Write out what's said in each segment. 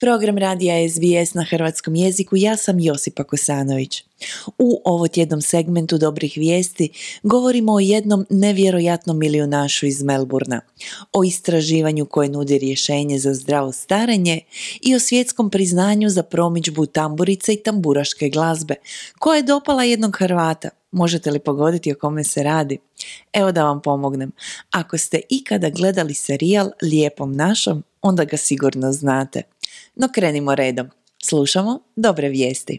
Program radija SBS na hrvatskom jeziku, ja sam Josipa Kosanović. U ovotjednom segmentu dobrih vijesti govorimo o jednom nevjerojatnom milijunašu iz Melbourna, o istraživanju koje nudi rješenje za zdravo starenje i o svjetskom priznanju za promidžbu tamburice i tamburaške glazbe, koja je dopala jednog Hrvata. Možete li pogoditi o kome se radi? Evo da vam pomognem. Ako ste ikada gledali serijal Lijepom našom, onda ga sigurno znate. No krenimo redom. Slušamo dobre vijesti.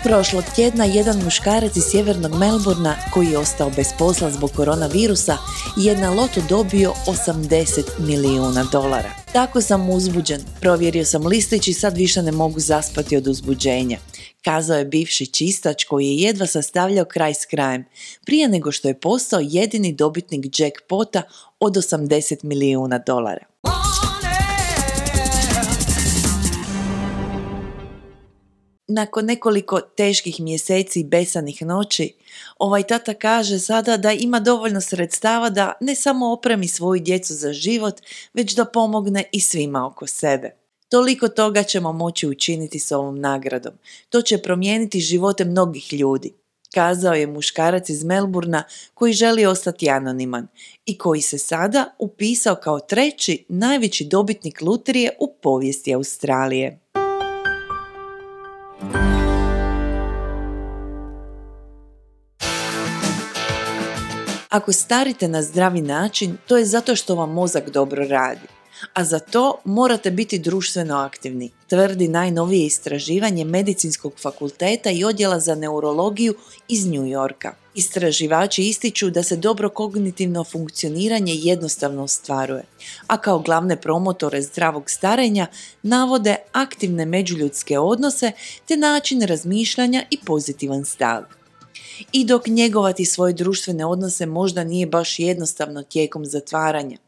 Prošlog tjedna jedan muškarac iz sjevernog Melbourna koji je ostao bez posla zbog koronavirusa je na lotu dobio $80 milijuna. Tako sam uzbuđen, provjerio sam listić i sad više ne mogu zaspati od uzbuđenja, kazao je bivši čistač koji je jedva sastavljao kraj s krajem, prije nego što je postao jedini dobitnik jackpota od $80 milijuna. Nakon nekoliko teških mjeseci i besanih noći, ovaj tata kaže sada da ima dovoljno sredstava da ne samo opremi svoju djecu za život, već da pomogne i svima oko sebe. Toliko toga ćemo moći učiniti s ovom nagradom. To će promijeniti živote mnogih ljudi, kazao je muškarac iz Melbourna koji želi ostati anoniman i koji se sada upisao kao treći najveći dobitnik lutrije u povijesti Australije. Ako starite na zdravi način, to je zato što vam mozak dobro radi, a za to morate biti društveno aktivni, tvrdi najnovije istraživanje Medicinskog fakulteta i odjela za neurologiju iz New Yorka. Istraživači ističu da se dobro kognitivno funkcioniranje jednostavno ostvaruje, a kao glavne promotore zdravog starenja navode aktivne međuljudske odnose te način razmišljanja i pozitivan stav. I dok njegovati svoje društvene odnose možda nije baš jednostavno tijekom zatvaranja,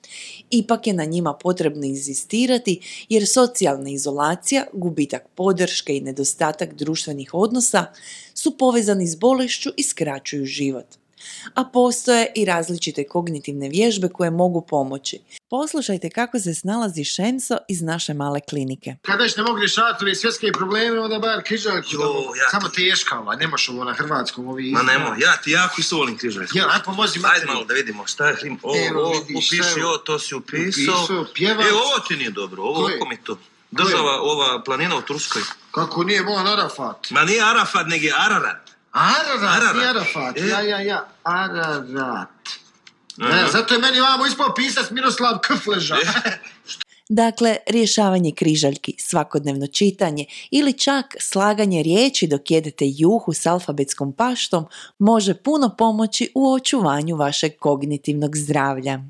ipak je na njima potrebno inzistirati jer socijalna izolacija, gubitak podrške i nedostatak društvenih odnosa su povezani s bolešću i skraćuju život. A postoje i različite kognitivne vježbe koje mogu pomoći. Poslušajte kako se snalazi Šemso iz naše male klinike. Kad već ne mogu rješavati ove svjetske probleme, onda bar križaljku samo teška, nemaš ovo na hrvatskom ovi izgleda. Ma nemo, ja ti jako isto volim križaljku. Ja, aj pomozi materi. Ajde malo da vidimo šta je. Upiši, to si upisao. Pjevac. Ovo ti nije dobro, ovo mi to. Država, ova planina u Turskoj. Kako nije mojan Arafat? Ma nije Arafat, nego je Ararat. Ararat, nije Arafat. Ja. Ararat. Zato je meni vamo ispao pisac Miroslav Kfleža. Dakle, rješavanje križaljki, svakodnevno čitanje ili čak slaganje riječi dok jedete juhu s alfabetskom paštom može puno pomoći u očuvanju vašeg kognitivnog zdravlja.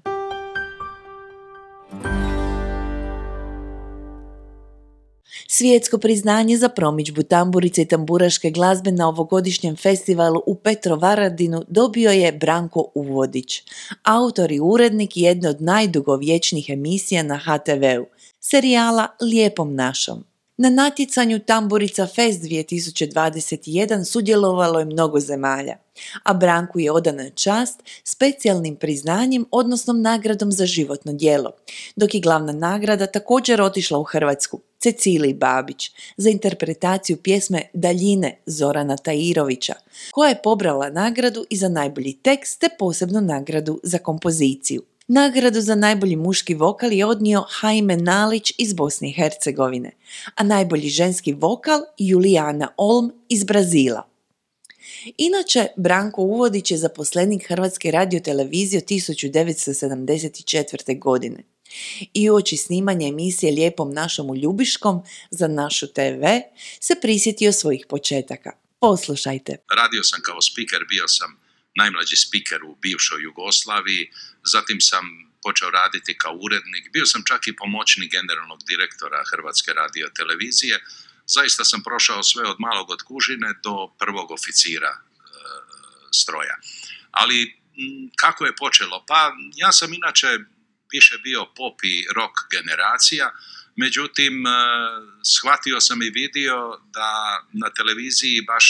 Svjetsko priznanje za promidžbu tamburice i tamburaške glazbe na ovogodišnjem festivalu u Petrovaradinu dobio je Branko Uvodić, autor i urednik jedne od najdugovječnijih emisija na HTV-u, serijala Lijepom našom. Na natjecanju Tamburica Fest 2021 sudjelovalo je mnogo zemalja, a Branku je odana čast specijalnim priznanjem, odnosno nagradom za životno djelo, dok je glavna nagrada također otišla u Hrvatsku, Ceciliji Babić, za interpretaciju pjesme Daljine Zorana Tahirovića, koja je pobrala nagradu i za najbolji tekst te posebnu nagradu za kompoziciju. Nagradu za najbolji muški vokal je odnio Jaime Nalić iz Bosne i Hercegovine, a najbolji ženski vokal Julijana Olm iz Brazila. Inače, Branko Uvodić je zaposlenik Hrvatske radiotelevizije od 1974. godine. I uoči snimanja emisije Lijepom našom u Ljubiškom za Našu TV se prisjetio svojih početaka. Poslušajte. Radio sam kao spiker, bio sam najmlađi spiker u bivšoj Jugoslaviji, zatim sam počeo raditi kao urednik, bio sam čak i pomoćnik generalnog direktora Hrvatske radiotelevizije. Zaista sam prošao sve od malog od kužine do prvog oficira stroja. Ali kako je počelo? Pa ja sam inače više bio pop i rock generacija, međutim shvatio sam i vidio da na televiziji baš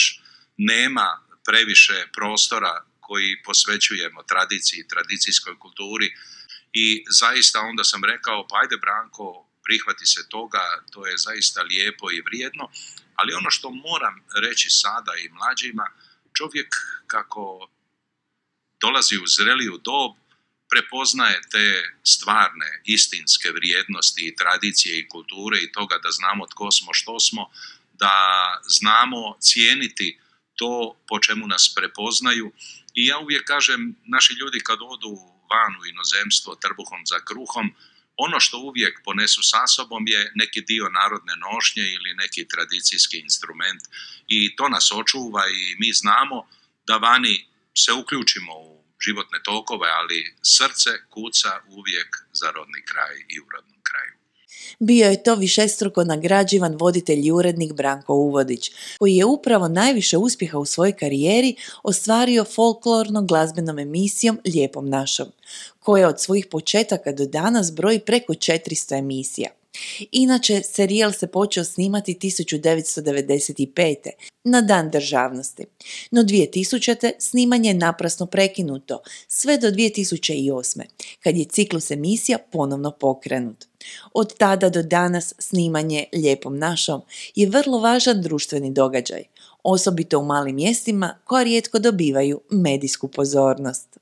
nema previše prostora koji posvećujemo tradiciji, tradicijskoj kulturi I zaista onda sam rekao, pa ajde Branko, prihvati se toga, to je zaista lijepo i vrijedno, ali ono što moram reći sada i mlađima, čovjek kako dolazi u zreliju dob, prepoznaje te stvarne, istinske vrijednosti i tradicije i kulture i toga da znamo tko smo, što smo, da znamo cijeniti to po čemu nas prepoznaju. I ja uvijek kažem, naši ljudi kad odu van u inozemstvo trbuhom za kruhom, ono što uvijek ponesu sa sobom je neki dio narodne nošnje ili neki tradicijski instrument i to nas očuva i mi znamo da vani se uključimo u životne tokove, ali srce kuca uvijek za rodni kraj i u rodnom kraju. Bio je to višestruko nagrađivan voditelj i urednik Branko Uvodić, koji je upravo najviše uspjeha u svojoj karijeri ostvario folklornom glazbenom emisijom Lijepom našom, koja od svojih početaka do danas broji preko 400 emisija. Inače, serijal se počeo snimati 1995. na Dan državnosti, no 2000. snimanje je naprasno prekinuto sve do 2008. kad je ciklus emisija ponovno pokrenut. Od tada do danas snimanje Lijepom našom je vrlo važan društveni događaj, osobito u malim mjestima koja rijetko dobivaju medijsku pozornost.